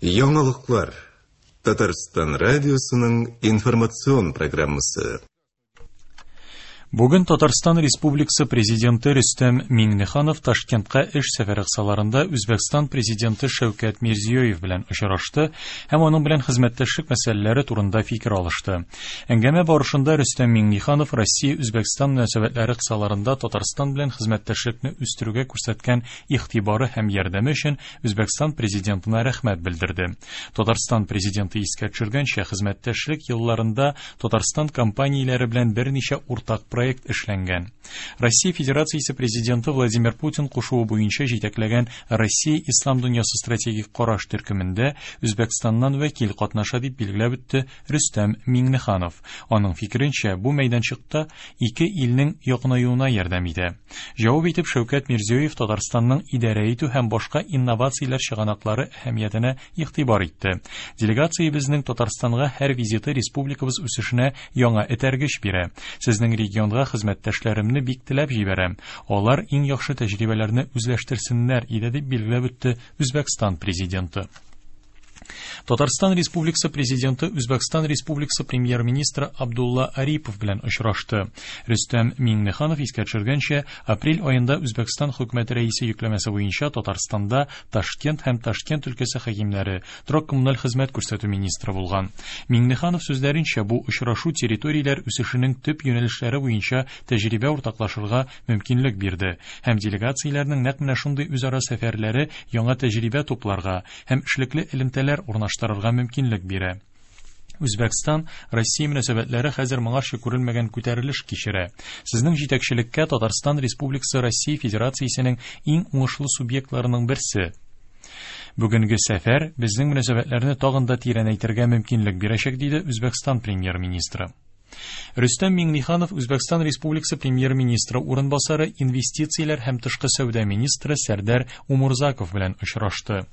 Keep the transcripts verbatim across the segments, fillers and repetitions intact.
Яңалыклар. Татарстан радиосының информацион программасы. Бүген Татарстан Республикасы Президенты Рөстәм Миңнеханов Ташкентка эш сәфәре кысаларында Үзбәкстан Президенты Шәүкәт Мирзиёев белән очрашты һәм аның белән хезмәттәшлек мәсьәләләре турында фикер алышты. Әңгәмә барышында Рөстәм Миңнеханов Россия-Үзбәкстан мөнәсәбәтләре кысаларында Татарстан белән хезмәттәшлекне үстерүгә күрсәткән игътибары һәм ярдәме өчен Үзбәкстан Президентына рәхмәт белдерде. Татарстан Президенты искә төшергәнчә, хезмәттәшлек елларында Татарстан компанияләре белән берничә уртак проект эшләнгән. Россия Федерациясе Президенты Владимир Путин кушуы буенча җитәкләгән Россия Ислам дөньясы стратегик караш төркемендә Үзбәкстаннан вәкил катнаша дип билгеләп үтте Рөстәм Миңнеханов. Аның фикеренчә, бу мәйданчыкта ике илнең якынаюына ярдәм итә. Җавап итеп Шәүкәт Мирзиёев Татарстанның идарә итү һәм башка инновацияләр чыганаклары әһәмиятенә игътибар итте. Делегациябезнең Татарстанга һәр визиты республикабыз үсешенә яңа этәргеч бирә. Сезнең регион хезмәттәшләремне бик теләп җибәрәм. Алар иң яхшы тәҗрибәләрне үзләштерсеннәр иде дип билгеләп үтте Үзбәкстан президенты. Татарстан Республикасы Президенты Үзбәкстан Республикасы Премьер-министры Абдулла Арипов белән очрашты. Рөстәм Миңнеханов искә төшергәнчә, апрель аенда Үзбәкстан хөкүмәте рәисе йөкләмәсе буенча Татарстанда Ташкент һәм Ташкент өлкәсе хакимнәре, торак-коммуналь хезмәт күрсәтү министры булган. Миңнеханов сүзләренчә, бу очрашу территорияләр үсешенең төп юнәлешләре буенча тәҗрибә уртаклашырга мөмкинлек бирде һәм делегацияләрнең нәкъ менә шундый үзара сәфәрләре яңа тәҗрибә тупларга һәм эшлекле элемтәләр урнаштырырга мөмкинлек бирә. Үзбәкстан Россия мөнәсәбәтләре хәзер моңарчы күрелмәгән күтәрелеш кичерә. Сезнең җитәкчелеккә Татарстан Республикасы Россия Федерациясенең иң уңышлы субъектларының берсе. Бүгенге сәфәр безнең мөнәсәбәтләрне тагын да тирәнәйтергә мөмкинлек бирәчәк, диде Үзбәкстан премьер-министры. Рөстәм Миңнеханов Үзбәкстан Республикасы премьер-министры урынбасары, инвестицияләр һәм тышкы сәүдә министры Сәрдәр Умурзаков белән очрашты.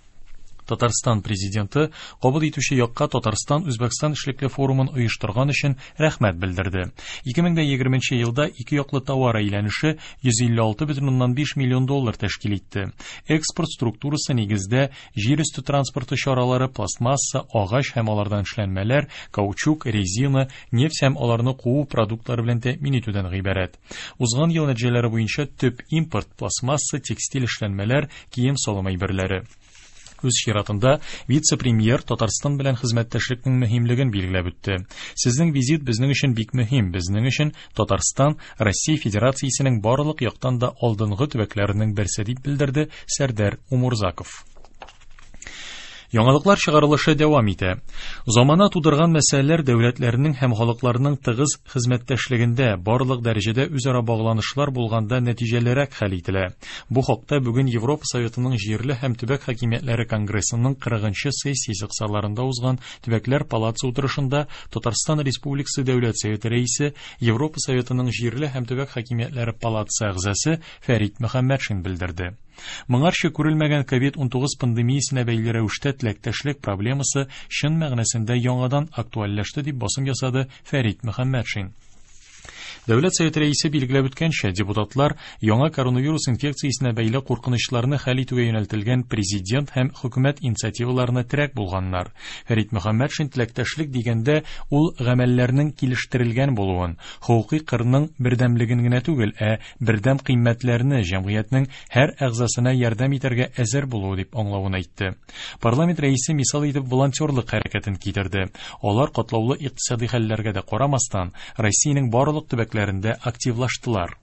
Татарстан президенты кабул итүче якка Татарстан Үзбәкстан эшлекле форумын оештырган өчен рәхмәт белдерде. ике мең егерменче елда ике яклы товар әйләнеше йөз илле алты бөтен уннан биш миллион доллар тәшкил итте. Экспорт структурасы нигездә җир өсте транспорты чаралары, пластмасса, агач һәм алардан эшләнмәләр, каучук, резина, нефть һәм аларны куу продуктлары белән тәэмин итүдән гыйбарәт. Узган ел нәтиҗәләре буенча төп импорт пластмасса, текстиль эшләнмәләр, кием-салым әйберләре. Үз чиратында вице-премьер Татарстан белән хезмәттәшлекнең мөһимлеген билгеләп үтте. Сезнең визит безнең өчен бик мөһим. Безнең өчен Татарстан Россия Федерациясенең барлык яктан да алдынгы төбәкләренең берсе дип белдерде Сәрдәр Умурзаков. Яңалыклар чыгарылышы дәвам итә. Замана тудырган мәсьәләләр дәүләтләрнең һәм халыкларның тыгыз хезмәттәшлегендә барлык дәрәҗәдә үзара багланышлар булганда нәтиҗәлерәк хәл ителә. Бу хакта бүген Европа Советының җирле һәм төбәк хакимиятләре конгрессының кырыгынчы сессиясе кысаларында узган Төбәкләр палатасы утырышында Татарстан Республикасы Дәүләт Советы рәисе, Европа Советының җирле һәм төбәк хакимиятләре палатасы әгъзасы Фәрит Мөхәммәтшин белдерде. Моңарчы күрелмәгән ковид унтугыз пандемиясенә бәйле рәвештә теләктәшлек проблемасы чын мәгънәсендә яңадан актуальләште дип басым ясады Фәрит Мөхәммәтшин. Дәүләт Советы рәисе билгеләп үткәнчә, депутатлар яңа коронавирус инфекциясенә бәйле куркынычларны хәл итүгә юнәлтелгән президент һәм хөкүмәт инициативаларына терәк булганнар. Фәрит Мөхәммәтшин теләктәшлек дигәндә ул гамәлләрнең килештерелгән булуын, хокукый кырның бердәмлеген генә түгел, ә бердәм кыйммәтләрне җәмгыятьнең һәр әгъзасына ярдәм итәргә әзер булуы дип аңлавын әйтте. Парламент рәисе мисал итеп волонтерлык хәрәкәтен китерде. Алар катлаулы икътисади хәлләргә дә карамастан, Россиянең барлык төбәкләрендә активлаштылар.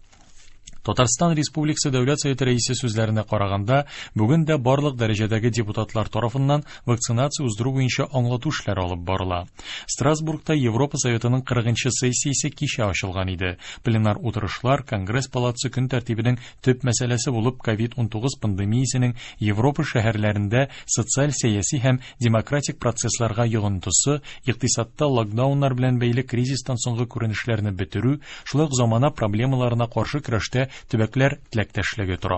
Татарстан Республикасы Дәүләт Советы рәисе сүзләренә караганда, бүген дә барлык дәрәҗәдәге депутатлар тарафыннан вакцинация уздыру буенча аңлату эшләре алып барыла. Страсбургта Европа Советының кырыгынчы сессиясе кичә ачылган иде. Пленар утырышлар Конгресс палатасы көн тәртибенең төп мәсьәләсе булып ковид унтугыз пандемиясенең Европа шәһәрләрендә социаль, сәяси һәм демократик процессларга йогынтысы, икътисадта локдауннар белән бәйле кризистан соңгы күренешләрне бетерү, шулай ук замана проблемаларына каршы көрәштә төбәкләр теләктәшлеге тора.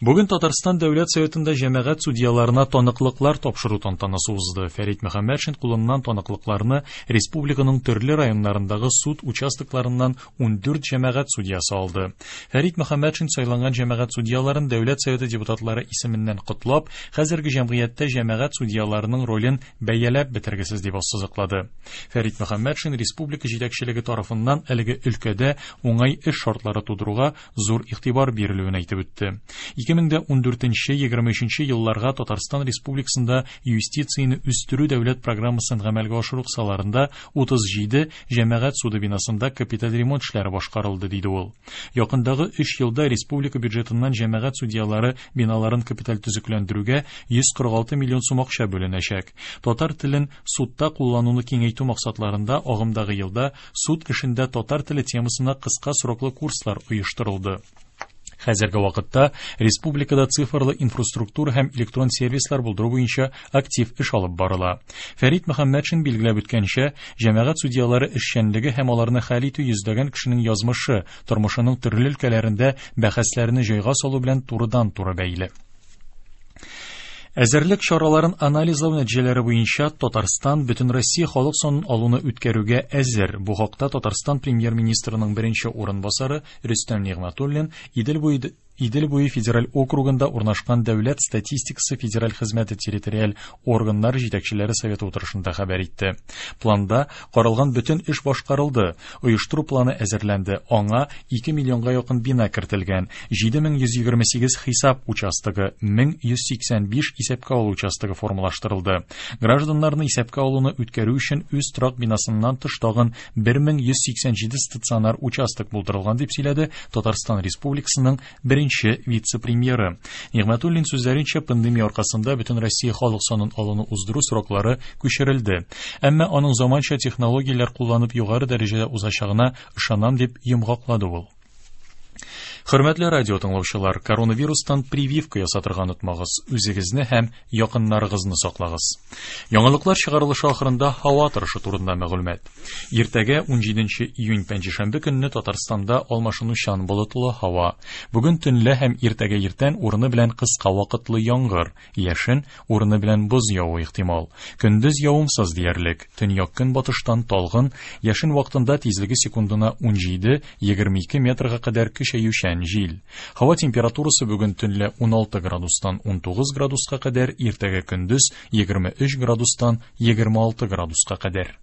Бүген Татарстан Дәүләт Советында җәмәгать судьяларына таныклыклар тапшыру тантанасы узды. Фәрит Мөхәммәтшин кулыннан таныклыкларны республиканың төрле районнарындагы суд участокларыннан ундүрт җәмәгать судьясы алды. Фәрит Мөхәммәтшин сайланган җәмәгать судьяларын Дәүләт Советы депутатлары исеменнән котлап, хәзерге җәмгыятьтә җәмәгать судьяларының ролен бәяләп бетергесез дип ассызыклады. Фәрит Мөхәммәтшин республика җитәкчелеге тарафыннан әлеге өлкәдә уңай эш шартлары тудыруга зур игътибар бирелүен әйтеп үтте. ике мең ундүртенче егерме өченче елларга Татарстан Республикасында юстицияне үстерү дәүләт программасын гамәлгә ашыру кысаларында утыз җиде җәмәгать суды бинасында капиталь ремонт эшләре башкарылды, диде ул. Якындагы өч елда республика бюджетыннан җәмәгать судьялары биналарын капиталь төзекләндерүгә йөз кырык алты миллион сум акча бүленәчәк. Татар телен судта куллануны киңәйтү максатларында агымдагы елда суд эшендә татар теле темасына кыска сроклы курслар оештырылды. Хәзерге вакытта республикада цифрлы инфраструктура һәм электрон сервислар булдыру буенча актив эш алып барыла. Фәрит Мөхәммәтшин билгеләп үткәнчә, җәмәгать судьялары эшчәнлеге һәм аларны хәл итү йөзләгән кешенең язмышы, тормышының төрле өлкәләрендә бәхәсләрне җайга салу белән турыдан-туры бәйле. Әзерлек чараларын анализлау нәтиҗәләре буенча Татарстан Бөтенроссия халык санын алуны үткәрүгә әзер. Бу хакта Татарстан премьер-министрының беренче урынбасары Рөстәм Нигъмәтуллин Идел буе Идел буе федераль округында урнашкан Дәүләт статистикасы федераль хезмәте территориаль органнар җитәкчеләре советы утырышында хәбәр итте. Планда каралган бөтен эш башкарылды. Оештыру планы әзерләнде. Аңа ике миллионга якын бина кертелгән, җиде мең йөз егерме сигез хисап участогы, мең йөз сиксән биш исәпкә алу участогы формалаштырылды. Гражданнарны исәпкә алуны үткәрү өчен үз торак бинасыннан тыш тагын бер мең йөз сиксән җиде стационар участок булдырылган, дип сөйләде Татарстан Республикасының беренче вице-премьеры. Нигъмәтуллин сүзләренчә, пандемия аркасында бөтен Россия халык санын алуны уздыру сроклары күчерелде. Әмма аның заманча технологияләр кулланып югары дәрәҗәдә узачагына ышанам, дип йомгаклады ул. Хөрмәтле радио тыңлаучылар, коронавирустан прививка ясатырга онытмагыз, үзегезне һәм якыннарыгызны саклагыз. Яңалыклар чыгарылышы ахырында һава торышы турында мәгълүмат. Иртәгә унҗиденче июнь пәнҗешәмбе көнне Татарстанда алмашынучан болытлы һава. Бүген төнлә һәм иртәгә иртән урыны белән кыска вакытлы яңгыр, яшен, урыны белән боз явуы ихтимал. Көндез явымсыз диярлек. Төньяк көнбатыштан талгын, яшен вакытында тизлеге секундына унҗиде егерме ике метрга кадәр көчәючән җил. Һава температурасы бүген төнлә уналты градустан унтугыз градуска кадәр, иртәгә көндез егерме өч градустан егерме алты градуска кадәр.